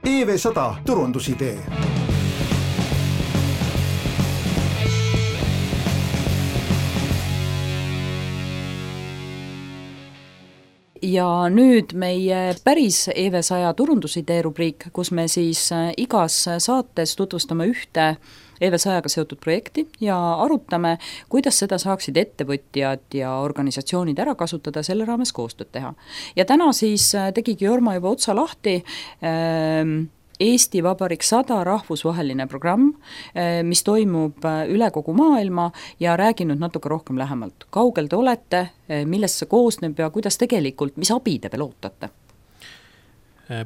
EV100 turundusidee. Ja nüüd meie päris EV100 turundusidee rubriik, kus me siis igas saates tutvustame ühte EV100-ga seotud projekti ja arutame, kuidas seda saaksid ettevõtjad ja organisatsioonid ära kasutada, selle raames koostööd teha. Ja täna siis tegigi Jorma juba otsa lahti Eesti Vabariik 100 rahvusvaheline programm, mis toimub üle kogu maailma ja räägin nüüd natuke rohkem lähemalt. Kaugel te olete, millest see koosneb ja kuidas tegelikult, mis abi te veel ootate?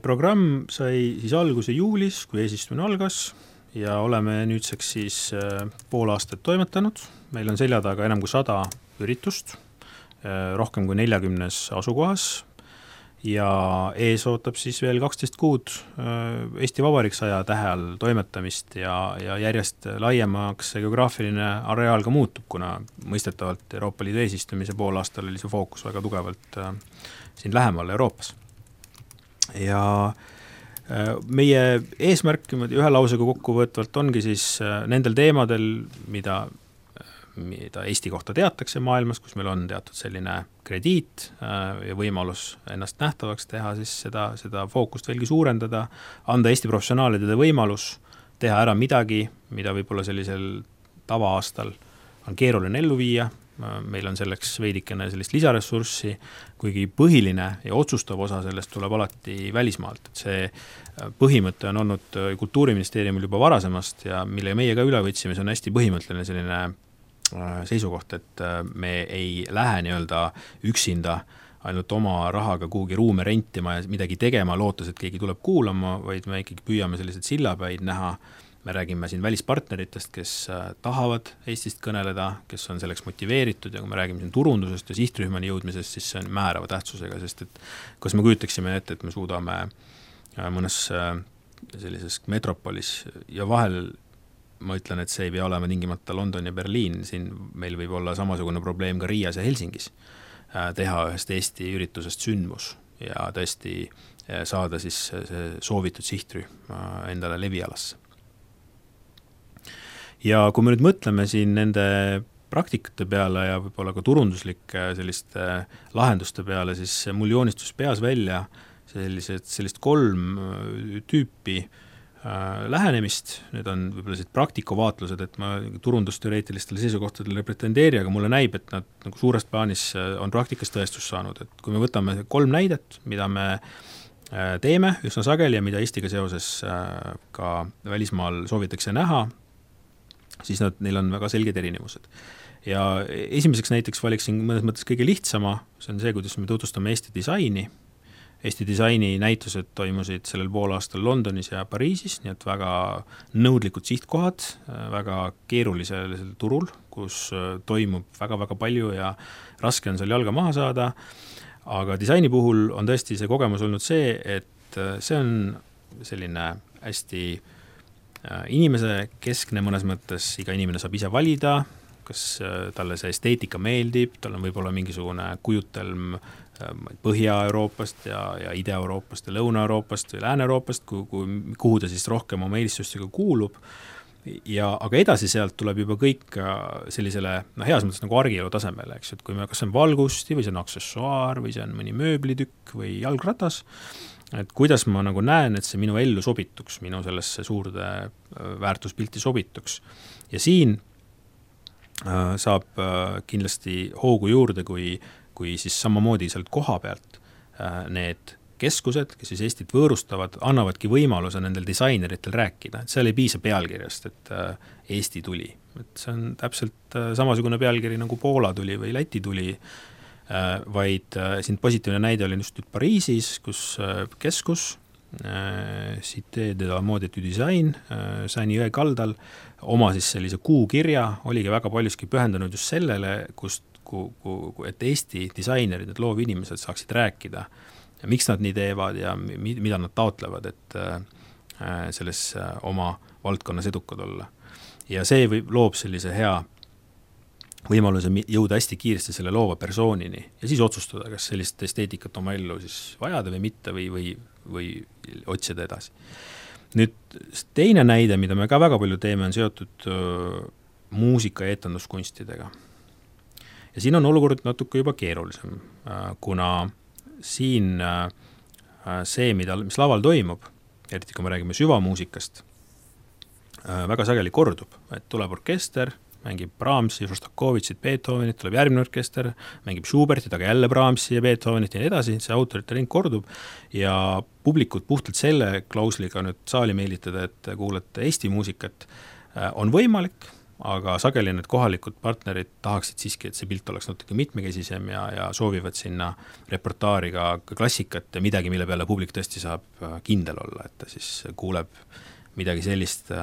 Programm sai siis alguse juulis, kui eesistumine algas ja oleme nüüdseks siis pool aastat toimetanud. Meil on selja taga enam kui 100 üritust, rohkem kui 40 asukohas. Ja ees ootab siis veel 12 kuud Eesti Vabariik 100 tähe all toimetamist ja järjest laiemaks geograafiline areaal ka muutub, kuna mõistetavalt Euroopa Liidu eesistumise pool aastal oli see fookus väga tugevalt siin lähemal Euroopas. Ja meie eesmärk ühe lausega kokkuvõtvalt ongi siis nendel teemadel, mida Eesti kohta teatakse maailmas, kus meil on teatud selline krediit ja võimalus ennast nähtavaks teha, siis seda fookust veelgi suurendada, anda Eesti professionaalidele võimalus teha ära midagi, mida võib-olla sellisel tavaaastal on keeruline ellu viia. Meil on selleks veidikene sellist lisaressurssi, kuigi põhiline ja otsustav osa sellest tuleb alati välismaalt. See põhimõte on olnud Kultuuriministeeriumil juba varasemast ja mille meie ka üle võtsime, see on hästi põhimõtteline selline seisukoht, et me ei lähe nii-öelda üksinda ainult oma rahaga kuhugi ruume rentima ja midagi tegema, lootes, et keegi tuleb kuulama, vaid me ikkagi püüame sellised sillapäid näha. Me räägime siin välispartneritest, kes tahavad Eestist kõneleda, kes on selleks motiveeritud ja kui me räägime siin turundusest ja sihtrühmani jõudmisest, siis see on määrava tähtsusega, sest et kas me kujutaksime ette, et me suudame mõnes sellises metropolis ja vahel ma ütlen, et see ei pea olema tingimata London ja Berliin, siin meil võib olla samasugune probleem ka Riias ja Helsingis, teha ühest Eesti üritusest sündmus ja tõesti saada siis see soovitud sihtrühm endale levialasse. Ja kui me nüüd mõtleme siin nende praktikate peale ja võib-olla ka turunduslike selliste lahenduste peale, siis mul joonistus peas välja sellist 3 tüüpi lähenemist, need on võib-olla sellised praktikuvaatlused, et ma turundusteoreetilistele seisukohtadele pretendeeri, aga mulle näib, et nad nagu suurest plaanis on praktikas tõestus saanud, et kui me võtame 3 näidet, mida me teeme üsna sageli ja mida Eestiga seoses ka välismaal soovitakse näha, siis neil on väga selged erinevused. Ja esimeseks näiteks valiksin mõnes mõttes kõige lihtsama, see on see, kuidas me tutvustame Eesti disaini. Eesti disaini näitused toimusid sellel poolaastal Londonis ja Pariisis, nii et väga nõudlikud sihtkohad, väga keerulisel turul, kus toimub väga-väga palju ja raske on seal jalga maha saada, aga disaini puhul on tõesti see kogemus olnud see, et see on selline hästi inimese keskne mõnes mõttes, iga inimene saab ise valida, kas talle see esteetika meeldib, tal on võib-olla mingisugune kujutelm Põhja-Euroopast ja Ida-Euroopast ja Lõuna-Euroopast või Lääne-Euroopast, kuhu ta siis rohkem oma eelistustega kuulub. Aga edasi sealt tuleb juba kõik sellisele heas mõttes nagu argielu tasemele, eks, et kui me kas on valgusti või see on aksessuaar või see on mõni mööblitükk või jalgratas, et kuidas ma nagu näen, et see minu ellu sobituks, minu sellesse suurde väärtuspilti sobituks. Ja siin saab kindlasti hoogu juurde, kui siis samamoodi sealt koha pealt need keskused, kes siis Eestit võõrustavad, annavadki võimaluse nendel disaineritel rääkida. Et seal ei piisa pealkirjast, et Eesti tuli. Et see on täpselt samasugune pealkiri nagu Poola tuli või Läti tuli, vaid siin positiivne näide oli just nüüd Pariisis, kus keskus, Cité de la Mode du Design, Saini jõe kaldal, oma siis sellise kuukirja oligi väga paljuski pühendunud just sellele, et Eesti disainerid, et loovinimesed saaksid rääkida, miks nad nii teevad ja mida nad taotlevad, et selles oma valdkonnas edukad olla. Ja see loob sellise hea võimaluse jõuda hästi kiiresti selle loova persoonini ja siis otsustada, kas sellist esteetikat oma ellu siis vajada või mitte või või otsida edasi. Nüüd teine näide, mida me ka väga palju teeme, on seotud muusika ja etenduskunstidega. Ja siin on olukord natuke juba keerulisem, kuna siin see, mis laval toimub, eriti kui me räägime süvamuusikast, väga sageli kordub, et tuleb orkester, mängib Brahmsi, Šostakovitšit, Beethovenit, tuleb järgmine orkester, mängib Schubertit, aga jälle Brahmsi ja Beethovenit ja nii edasi, see autorite ring kordub ja publikut puhtalt selle klausliga nüüd saali meelitada, et kuulete Eesti muusikat, on võimalik, aga sageli need kohalikud partnerid tahaksid siiski, et see pilt oleks natuke mitmekesisem ja soovivad sinna repertuaari ka klassikat ja midagi, mille peale publik tõesti saab kindel olla, et ta siis kuuleb midagi sellist,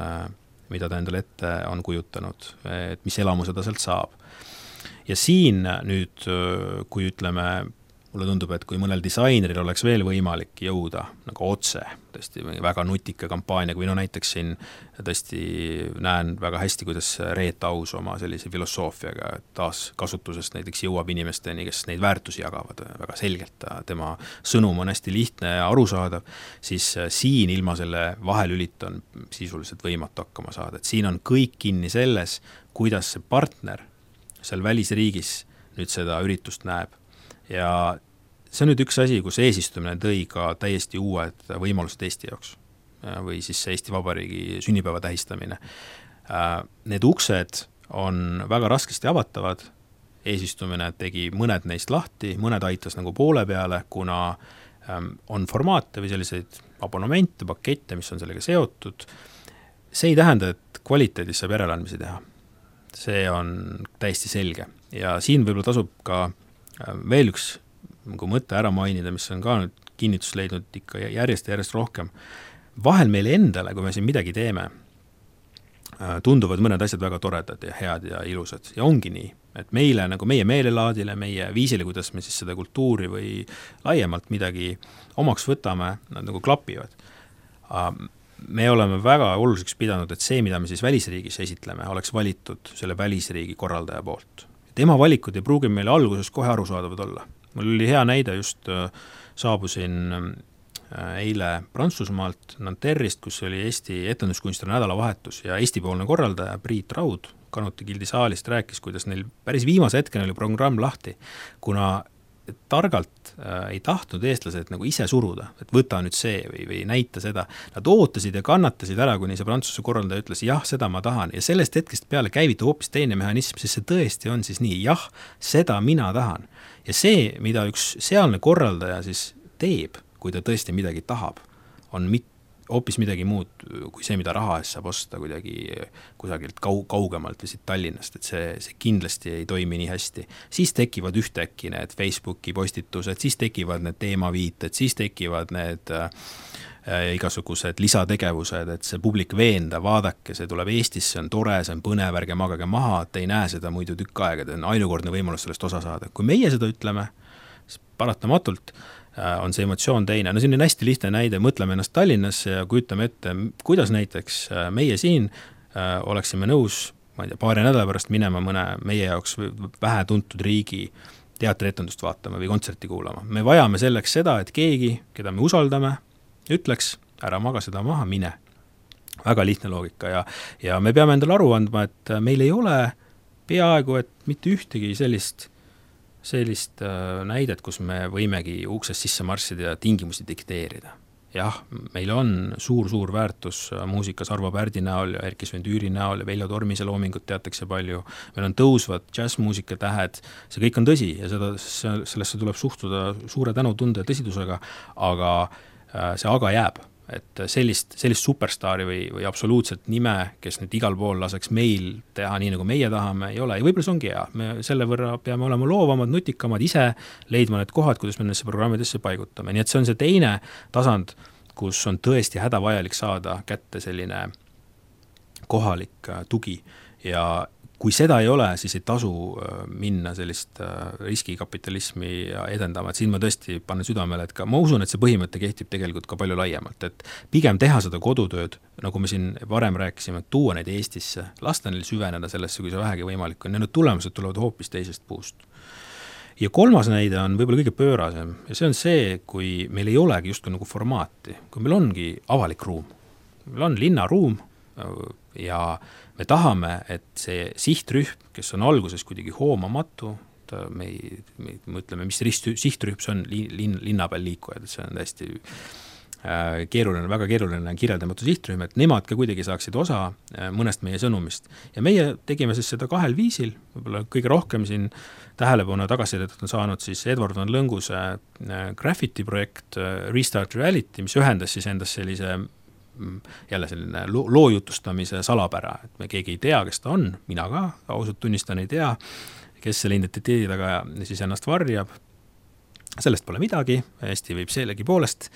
mida ta endale ette on kujutanud, et mis elamuse ta sealt saab. Ja siin nüüd, kui ütleme, mulle tundub, et kui mõnel disaineril oleks veel võimalik jõuda nagu otse, tõesti väga nutika kampaaniaga, või no näiteks siin tõesti näen väga hästi, kuidas Reet Aus oma sellise filosoofiaga taas kasutusest näiteks jõuab inimesteni, kes neid väärtusi jagavad väga selgelt, tema sõnum on hästi lihtne ja arusaadav, siis siin ilma selle vahelülit on sisuliselt võimatu hakkama saada, et siin on kõik kinni selles, kuidas see partner seal välisriigis nüüd seda üritust näeb. Ja see on nüüd üks asi, kus eesistumine tõi ka täiesti uued võimalused Eesti jaoks või siis Eesti Vabariigi sünnipäeva tähistamine. Need uksed on väga raskesti avatavad, eesistumine tegi mõned neist lahti, mõned aitas nagu poole peale, kuna on formaate või selliseid abonemente, pakette, mis on sellega seotud. See ei tähenda, et kvaliteedis saab järeleandmisi teha. See on täiesti selge ja siin võib-olla tasub ka veel üks mõte ära mainida, mis on ka nüüd kinnitust leidnud ikka järjest ja järjest rohkem. Vahel meile endale, kui me siin midagi teeme, tunduvad mõned asjad väga toredad ja head ja ilusad ja ongi nii, et meile, nagu meie meelelaadile, meie viisile, kuidas me siis seda kultuuri või laiemalt midagi omaks võtame, nad nagu klapivad. Me oleme väga oluliseks pidanud, et see, mida me siis välisriigis esitleme, oleks valitud selle välisriigi korraldaja poolt. Tema valikud ei pruugi meile alguses kohe arusaadavad olla. Mul oli hea näide, just saabusin eile Prantsusmaalt Nanterrist, kus oli Eesti etenduskunstide nädalavahetus ja Eesti-poolne korraldaja Priit Raud Kanuti Gildi saalist rääkis, kuidas neil päris viimase hetkeni oli programm lahti, kuna targalt ei tahtnud eestlased nagu ise suruda, et võta nüüd see või näita seda. Nad ootasid ja kannatasid ära, kuni see Prantsuse korraldaja ütles, jah, seda ma tahan. Ja sellest hetkest peale käivitu hoopis teine mehhanism, sest see tõesti on siis nii, jah, seda mina tahan. Ja see, mida üks sealne korraldaja siis teeb, kui ta tõesti midagi tahab, on hoopis midagi muud kui see, mida raha eest saab osta kuidagi kusagilt kaugemalt või siit Tallinnast, et see kindlasti ei toimi nii hästi. Siis tekivad ühtäkki need Facebooki postitused, siis tekivad need teemaviited, siis tekivad need igasugused lisategevused, et see publik veenda, vaadake, see tuleb Eestisse, see on tore, see on põnev, ärge magage maha, et ei näe seda muidu tükk aega, et on ainukordne võimalus sellest osa saada. Kui meie seda ütleme, siis paratamatult on see emotsioon teine. No siin on hästi lihtne näide, mõtleme ennast Tallinnasse ja kujutame ette, kuidas näiteks meie siin oleksime nõus, ma ei tea, paari nädala pärast minema mõne meie jaoks vähe tuntud riigi teatrietendust vaatama või kontserti kuulama. Me vajame selleks seda, et keegi, keda me usaldame, ütleks, ära maga seda maha, mine. Väga lihtne loogika ja me peame endale aru andma, et meil ei ole peaaegu, et mitte ühtegi sellist näidet, kus me võimegi uksest sisse marssida ja tingimusi dikteerida. Jah, meil on suur väärtus muusikas Arvo Pärdi näol ja Erki Svendüüri näol ja Veljo Tormise loomingut teatakse palju. Meil on tõusvad jazzmuusika tähed, see kõik on tõsi ja sellesse tuleb suhtuda suure tänutunde ja tõsidusega, aga see aga jääb. Et sellist superstaari või absoluutselt nime, kes nüüd igal pool laseks meil teha nii, nagu meie tahame, ei ole. Ja võib-olla see ongi hea. Me selle võrra peame olema loovamad, nutikamad, ise leidma need kohad, kuidas me nendesse programmidesse paigutame. Nii et see on see teine tasand, kus on tõesti hädavajalik saada kätte selline kohalik tugi. Ja kui seda ei ole, siis ei tasu minna sellist riskikapitalismi edendama, et siin ma tõesti panen südamele, et ka ma usun, et see põhimõte kehtib tegelikult ka palju laiemalt, et pigem teha seda kodutööd, nagu me siin varem rääkisime, et tuua neid Eestisse, lasta neil süveneda sellesse, kui see vähegi võimalik on, ja need tulemused tulevad hoopis teisest puust. Ja kolmas näide on võib-olla kõige pöörasem ja see on see, kui meil ei olegi justkui nagu formaati, kui meil ongi avalik ruum, meil on linnaruum ja me tahame, et see sihtrühm, kes on alguses kuidagi hoomamatu, me ütleme, mis sihtrühm see on, linna peal liikujad, et see on täiesti keeruline, väga keeruline kirjeldamatu sihtrühm, et nemad ka kuidagi saaksid osa mõnest meie sõnumist. Ja meie tegime siis seda 2 viisil, võib-olla kõige rohkem siin tähelepanu tagasisidet on saanud siis Edward Van Lõnguse graffiti projekt Restart Reality, mis ühendas siis endas sellise jälle selline loo jutustamise salapära, et me keegi ei tea, kes ta on, mina ka ausalt tunnistan ei tea, kes selle identiteedi taga siis ennast varjab. Sellest pole midagi, Eesti võib sellegi poolest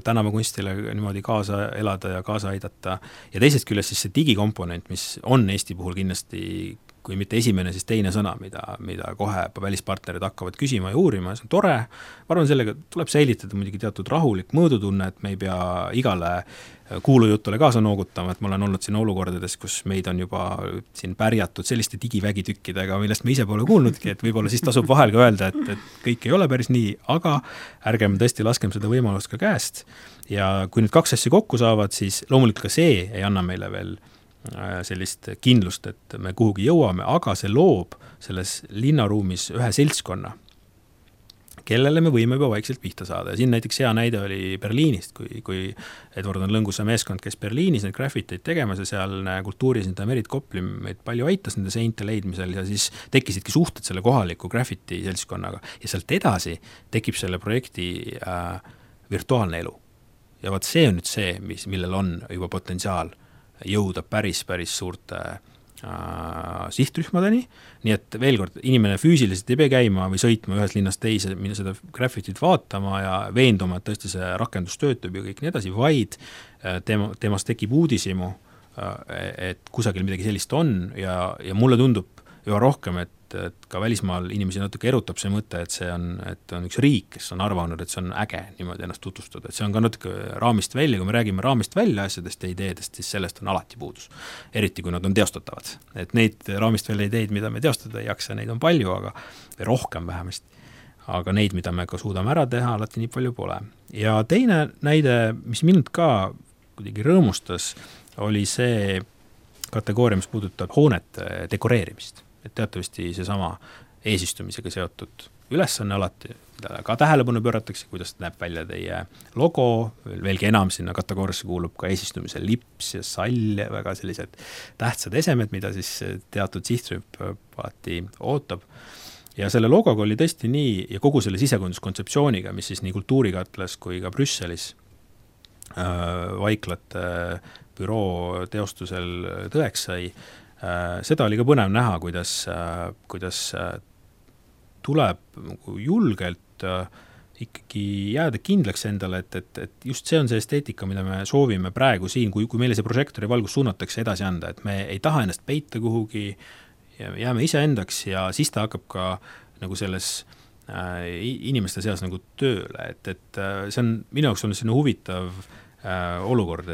tänava kunstile niimoodi kaasa elada ja kaasa aidata. Ja teisest küljest siis see digikomponent, mis on Eesti puhul kindlasti, kui mitte esimene, siis teine sõna, mida kohe välispartnerid hakkavad küsima ja uurima, see on tore. Ma arvan, sellega tuleb säilitada muidugi teatud rahulik mõõdutunne, et me ei pea igale kuulujutule kaasa noogutama, et ma olen olnud siin olukordades, kus meid on juba siin pärjatud selliste digivägitükkidega, millest me ise pole kuulnudki, et võib-olla siis tasub vahel ka öelda, et kõik ei ole päris nii, aga ärgem tõesti laskem seda võimalust ka käest. Ja kui nüüd 2 asja kokku saavad, siis loomulikult ka see ei anna meile veel sellist kindlust, et me kuhugi jõuame, aga see loob selles linnaruumis ühe seltskonna, kellele me võime juba vaikselt pihta saada. Ja siin näiteks hea näide oli Berliinist, kui Edward Van Lõnguse meeskond, kes Berliinis neid graffiteid tegemas ja seal kultuurisindaja Merit Kopli meid palju aitas nende seinte leidmisel ja siis tekkisidki suhted selle kohaliku graffiti seltskonnaga. Ja sealt edasi tekib selle projekti virtuaalne elu. Ja vaat see on nüüd see, millel on juba potentsiaal jõuda päris suurte sihtrühmadeni, nii et veel kord, inimene füüsiliselt ei pea käima või sõitma ühes linnas teise, minna seda graffitit vaatama ja veenduma, et tõesti see rakendus töötab ja kõik nii edasi, vaid temast tekib uudisimu, et kusagil midagi sellist on ja mulle tundub üha rohkem, et ka välismaal inimesi natuke erutab see mõte, et see on üks riik, kes on arvanud, et see on äge niimoodi ennast tutvustada, et see on ka natuke raamist välja, kui me räägime raamist välja asjadest ja ideedest, siis sellest on alati puudus, eriti kui nad on teostatavad, et neid raamist välja ideid, mida me teostada ei jaksa, neid on palju, aga või rohkem vähemasti, aga neid, mida me ka suudame ära teha, alati nii palju pole. Ja teine näide, mis mind ka kuidagi rõõmustas, oli see kategooria, mis puudutab hoonete dekoreerimist. Et teatavasti seesama eesistumisega seotud ülesanne alati, mida ka tähelepanu pööratakse, kuidas näeb välja teie logo, veelgi enam sinna kategooriasse kuulub ka eesistumise lips ja sall ja väga sellised tähtsad esemed, mida siis teatud sihtrühm alati ootab. Ja selle logoga oli tõesti nii, ja kogu selle sisekujunduskontseptsiooniga, mis siis nii Kultuurikatlas kui ka Brüsselis vaiklate büroo teostusel tõeks sai, seda oli ka põnev näha, kuidas tuleb julgelt ikkagi jääda kindlaks endale, et just see on see esteetika, mida me soovime praegu siin, kui meile see prožektori valgus suunatakse edasi anda, et me ei taha ennast peita kuhugi, jääme ise endaks ja siis ta hakkab ka nagu selles inimeste seas nagu tööle, et see on minu jaoks on selline huvitav olukord,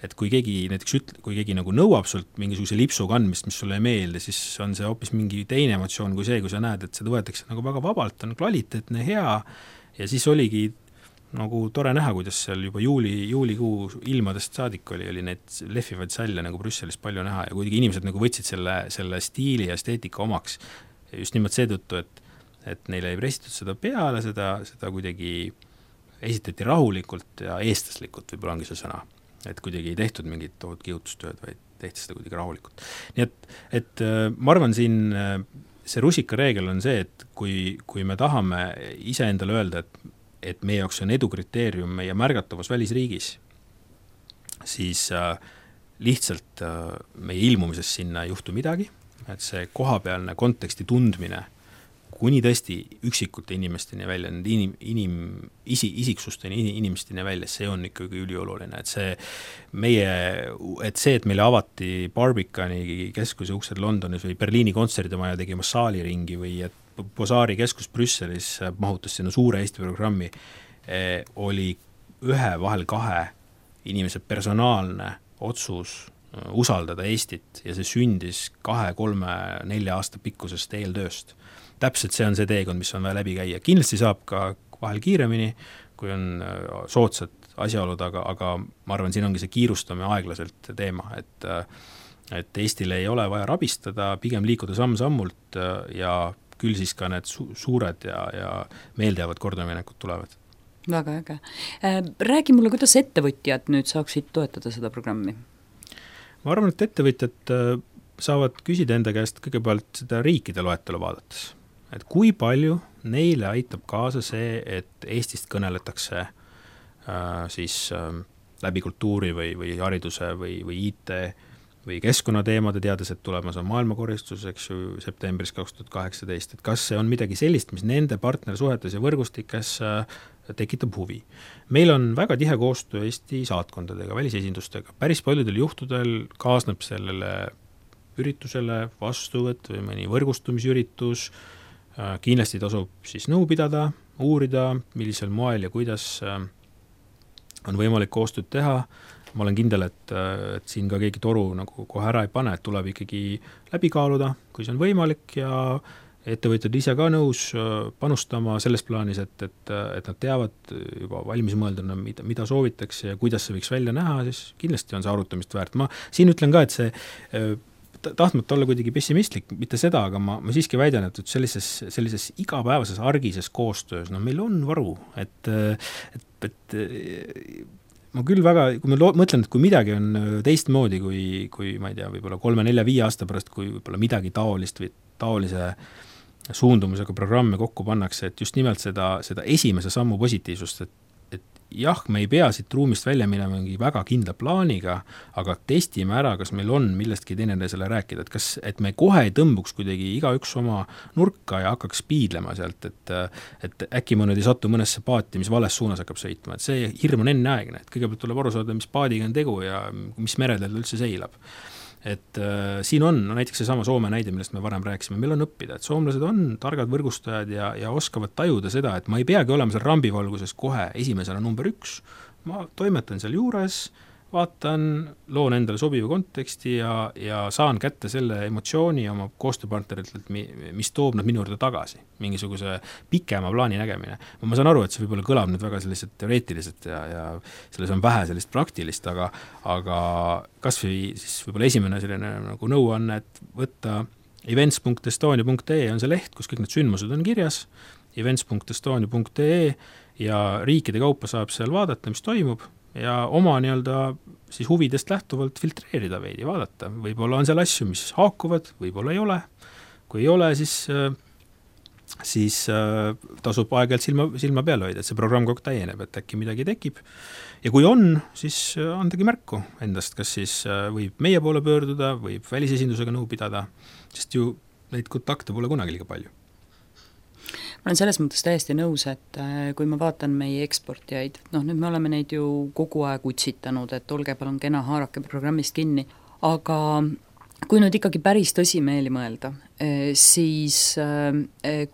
et kui keegi näiteks kui keegi nagu nõuab sult mingisuguse lipsu kandmist, mis sulle ei meelde, siis on see hoopis mingi teine emotsioon kui see, kui sa näed, et seda võetakse nagu väga vabalt, on kvaliteetne, hea ja siis oligi nagu tore näha, kuidas seal juba juulikuu ilmadest saadik oli neid lehvivaid salle nagu Brüsselis palju näha ja kuidagi inimesed nagu võtsid selle stiili ja esteetika omaks just nimelt seetõttu, et neile ei pressitud seda peale, seda kuidagi esitati rahulikult ja eestlaslikult, võib-olla ongi see sõna, et kuidagi ei tehtud mingit tohut kihutustööd, vaid tehti seda kuidagi rahulikult. Nii et ma arvan siin see rusikareegel on see, et kui me tahame ise endale öelda, et meie jaoks on edukriteerium meie märgatavus välisriigis, siis lihtsalt meie ilmumises sinna ei juhtu midagi, et see kohapealne konteksti tundmine kuni tõesti üksikute inimesteni välja, isiksusteni inimesteni välja, see on ikkagi ülioluline, et meile avati Barbicani keskuse uksed Londonis või Berliini kontserdimaja tegima saaliringi või et Bosaari keskus Brüsselis mahutas sinna suure Eesti programmi, oli vahel 2 inimese personaalne otsus usaldada Eestit ja see sündis 2, 3, 4 aasta pikkusest eeltööst. täpselt see on see teekond, mis on vaja läbi käia. Kindlasti saab ka vahel kiiremini, kui on soodsad asjaolud, aga ma arvan, siin ongi see kiirustamine aeglaselt teema, et Eestile ei ole vaja rabistada, pigem liikuda samm-sammult ja küll siis ka need suured ja meeldejäävad kordaminekud tulevad. Väga äge. Räägi mulle, kuidas ettevõtjad nüüd saaksid toetada seda programmi? Ma arvan, et ettevõtjad saavad küsida enda käest kõigepealt seda riikide loetelu vaadates, et kui palju neile aitab kaasa see, et Eestist kõneletakse siis läbi kultuuri või hariduse või IT või keskkonnateemade, teades, et tulemas on maailmakoristus, eks ju, septembris 2018, et kas see on midagi sellist, mis nende partnersuhetes ja võrgustikes tekitab huvi. Meil on väga tihe koostöö Eesti saatkondadega, välisesindustega, päris paljudel juhtudel kaasneb sellele üritusele vastuvõtt või mõni võrgustumisüritus, kindlasti tasub siis nõu pidada, uurida, millisel moel ja kuidas on võimalik koostööd teha. Ma olen kindel, et siin ka keegi toru nagu kohe ära ei pane, et tuleb ikkagi läbi kaaluda, kui see on võimalik ja ettevõtjad ise ka nõus panustama selles plaanis, et nad teavad juba valmis mõelduna, mida soovitakse ja kuidas see võiks välja näha, siis kindlasti on see arutamist väärt. Ma siin ütlen ka, et see tahtmata olla kuidagi pessimistlik, mitte seda, aga ma siiski väidan, et sellises igapäevases argises koostöös, meil on varu, et ma küll väga, kui ma mõtlen, et kui midagi on teistmoodi, kui ma ei tea, võib-olla 3, 4, 5 aasta pärast, kui võib-olla midagi taolist või taolise suundumusega programme kokku pannakse, et just nimelt seda esimese sammu positiivsust, et jah, me ei pea siit ruumist välja minema mingi väga kindla plaaniga, aga testime ära, kas meil on millestki teineteisele rääkida, et me kohe ei tõmbuks kuidagi igaüks oma nurka ja hakkaks piidlema sealt, et äkki mõned ei satu mõnesse paati, mis vales suunas hakkab sõitma, et see hirm on enneaegne, et kõigepealt tuleb aru saada, mis paadiga on tegu ja mis meredel üldse seilab. Et siin on näiteks seesama Soome näide, millest me varem rääkisime, meil on õppida, et soomlased on targad võrgustajad ja oskavad tajuda seda, et ma ei peagi olema seal rambivalguses kohe esimesena number 1, ma toimetan seal juures, vaatan, loon endale sobiva konteksti ja saan kätte selle emotsiooni oma koostööpartneritelt, mis toob nad minu juurde tagasi, mingisuguse pikema plaani nägemine. Ma saan aru, et see võib-olla kõlab nüüd väga sellised teoreetilised ja selles on vähe sellist praktilist, aga kas või siis võib-olla esimene selline nagu nõuanne, et võtta events.estonia.ee on see leht, kus kõik need sündmused on kirjas, events.estonia.ee ja riikide kaupa saab seal vaadata, mis toimub, ja oma siis huvidest lähtuvalt filtreerida veidi, vaadata. Võib-olla on seal asju, mis haakuvad, võib-olla ei ole. Kui ei ole, siis tasub aeg-ajalt silma peale hoida, et see programm kogu täieneb, et äkki midagi tekib. Ja kui on, siis andagi märku endast, kas siis võib meie poole pöörduda, võib välisesindusega nõu pidada, sest ju neid kontakte pole kunagi liiga palju. Ma olen selles mõttes täiesti nõus, et kui ma vaatan meie eksportijaid, nüüd me oleme neid ju kogu aeg utsitanud, et olge palun kena, haarake programmist kinni, aga kui nüüd ikkagi päris tõsimeeli mõelda, siis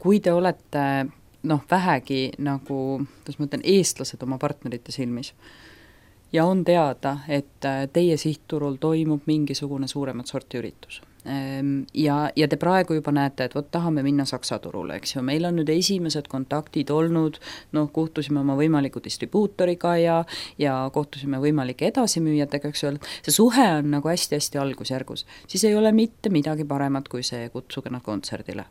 kui te olete vähegi nagu, kuidas ma ütlen, eestlased oma partnerite silmis ja on teada, et teie sihtturul toimub mingisugune suuremat sorti üritus. Ja te praegu juba näete, et tahame minna Saksa turule, eks ju, meil on nüüd esimesed kontaktid olnud, kohtusime oma võimaliku distribuutoriga ja kohtusime võimalike edasimüüjatega, eks ju, see suhe on nagu hästi-hästi algusjärgus, siis ei ole mitte midagi paremat kui see kutsuge nad kontserdile.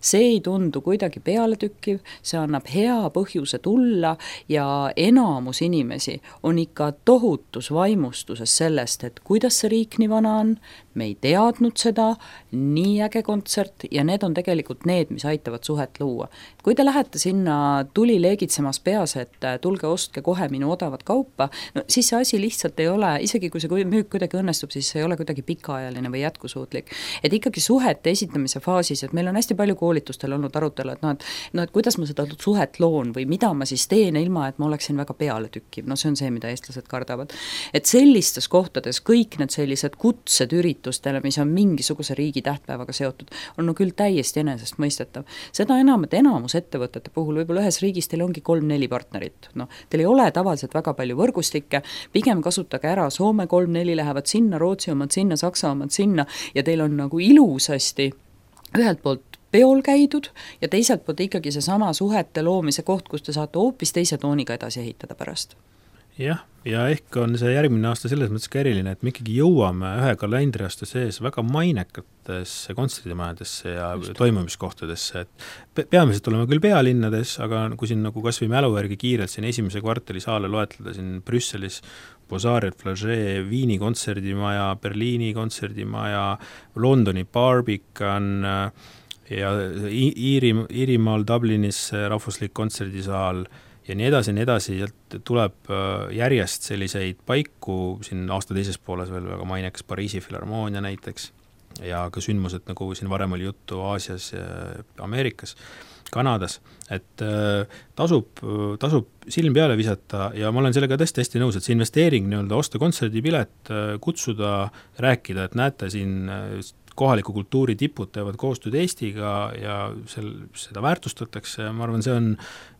See ei tundu kuidagi pealetükkiv, see annab hea põhjuse tulla ja enamus inimesi on ikka tohutus vaimustuses sellest, et kuidas see riik nii vana on, me ei teadnud seda, nii äge kontsert ja need on tegelikult need, mis aitavad suhet luua. Kui te lähete sinna tuli leegitsemas peas, et tulge ostke kohe minu odavat kaupa, siis see asi lihtsalt ei ole, isegi kui see müük kuidagi õnnestub, siis see ei ole kuidagi pikaajaline või jätkusuutlik. Et ikkagi suhete esitamise faasis, et meil on hästi palju koolitustel olnud arutelu, et kuidas ma seda suhet loon või mida ma siis teen ilma, et ma oleksin väga pealetükkiv. See on see, mida eestlased kardavad. Et sellistes kohtades kõik need sellised kutsed üritustele, mis on mingisuguse riigi tähtpäevaga seotud, on küll täiesti enesest mõistetav. Seda enam, et enamus ettevõtete puhul võib-olla ühes riigis teil ongi 3-4 partnerit. Teil ei ole tavaliselt väga palju võrgustikke, pigem kasutage ära, Soome 3-4 lähevad sinna, Rootsi omad sinna, Saksa omad sinna ja teil on nagu ilusasti ühelt poolt peol käidud ja teiselt poolt ikkagi seesama suhete loomise koht, kus te saate hoopis teise tooniga edasi ehitada pärast. Jah, ja ehk on see järgmine aasta selles mõttes ka eriline, et me ikkagi jõuame ühe kalendriaasta sees väga mainekatesse kontserdimajadesse ja toimumiskohtadesse, et peamiselt oleme küll pealinnades, aga kui siin nagu kas või mälu järgi kiirelt siin esimese kvartali saale loetleda siin Brüsselis, Bozariat, Flagey, Viini kontserdimaja, Berliini kontserdimaja, Londoni Barbican ja Iirimaal Dublinis rahvuslik kontserdisaal ja nii edasi, tuleb järjest selliseid paiku, siin aasta teises pooles veel väga mainekas Pariisi Filharmoonia näiteks ja ka sündmused, nagu siin varem oli juttu Aasias ja Ameerikas, Kanadas, et tasub silm peale visata ja ma olen sellega tõesti hästi nõus, et see investeering nii-öelda osta kontserdipilet, kutsuda, rääkida, et näete siin kohaliku kultuuri tipud teevad koostööd Eestiga ja seda väärtustatakse, ma arvan,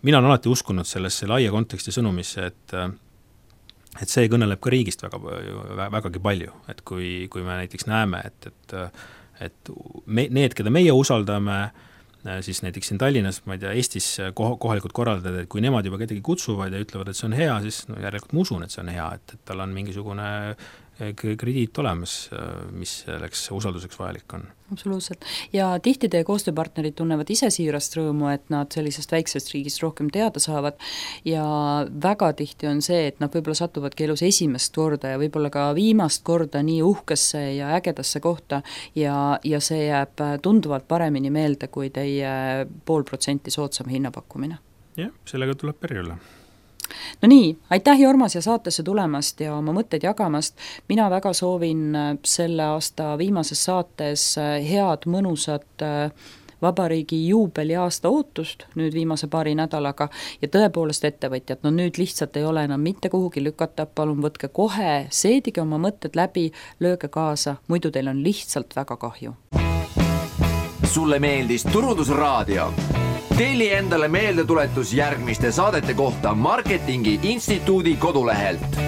mina olen alati uskunud sellesse laia konteksti sõnumisse, et see kõneleb ka riigist vägagi palju, et kui me näiteks näeme, et need, keda meie usaldame, siis näiteks siin Tallinnas, ma ei tea, Eestis kohalikud korraldajad, et kui nemad juba kedagi kutsuvad ja ütlevad, et see on hea, siis järelikult ma usun, et see on hea, et tal on mingisugune krediit olemas, mis selleks usalduseks vajalik on. Absoluutselt. Ja tihti teie koostööpartnerid tunnevad ise siirast rõõmu, et nad sellisest väiksest riigist rohkem teada saavad ja väga tihti on see, et nad võib-olla satuvadki elus esimest korda ja võib-olla ka viimast korda nii uhkesse ja ägedasse kohta ja see jääb tunduvalt paremini meelde kui teie 0,5% soodsam hinnapakkumine. Jah, sellega tuleb periolla. No nii, aitäh Jormas ja saatesse tulemast ja oma mõtteid jagamast. Mina väga soovin selle aasta viimases saates head, mõnusat vabariigi juubeli aasta ootust nüüd viimase paari nädalaga ja tõepoolest ettevõtjad, no nüüd lihtsalt ei ole enam mitte kuhugi lükata, palun võtke kohe, seedige oma mõtted läbi, lööge kaasa, muidu teil on lihtsalt väga kahju. Sulle meeldis Turundusraadio? Telli endale meeldetuletus järgmiste saadete kohta Marketingi Instituudi kodulehelt.